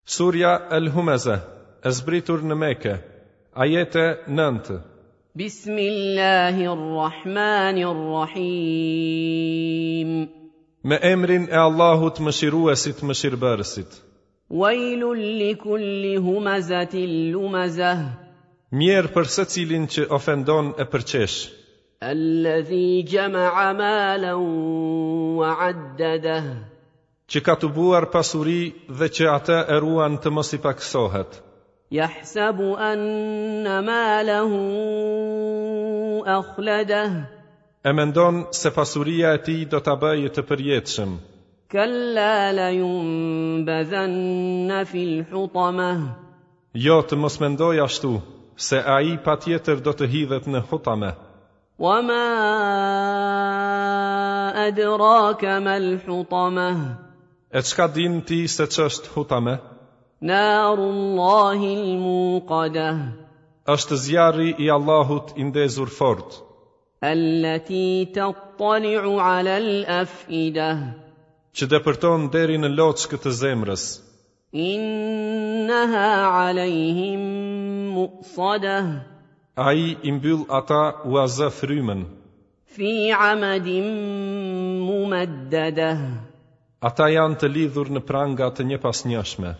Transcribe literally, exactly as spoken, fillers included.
Surja El Humeze, e zbritur në Mekë, ajete nëntë. بسم الله الرحمن الرحيم Me emrin e Allahut mëshiruesit mëshirbërësit. ويل لكل همزة لمزة Mjerë për secilin që ofendon e përqesh, الذي جمع مالا وعدده që ka tubuar pasuri dhe që atë e ruan të mos i paksohet. يحسب أن ماله أخلده E mendon se pasuria e tij do ta bëjë të përjetshëm. كلا لينبذن في الحطمة Jo të mos mendoj ashtu, se ai patjetër do të hidhet në hutame. وما أدراك ما الحطمة E çka din ti se ç'është hutame? نار الله الموقدة Është zjarri i Allahut i ndezur fort, التي تطلع على الأفئدة që depërton deri në loçkë të zemrës. إنها عليهم مؤصدة Ai i mbyll ata ua zë frymën. في عمد ممددة Ata janë të lidhur në pranga të njëpasnjëshme.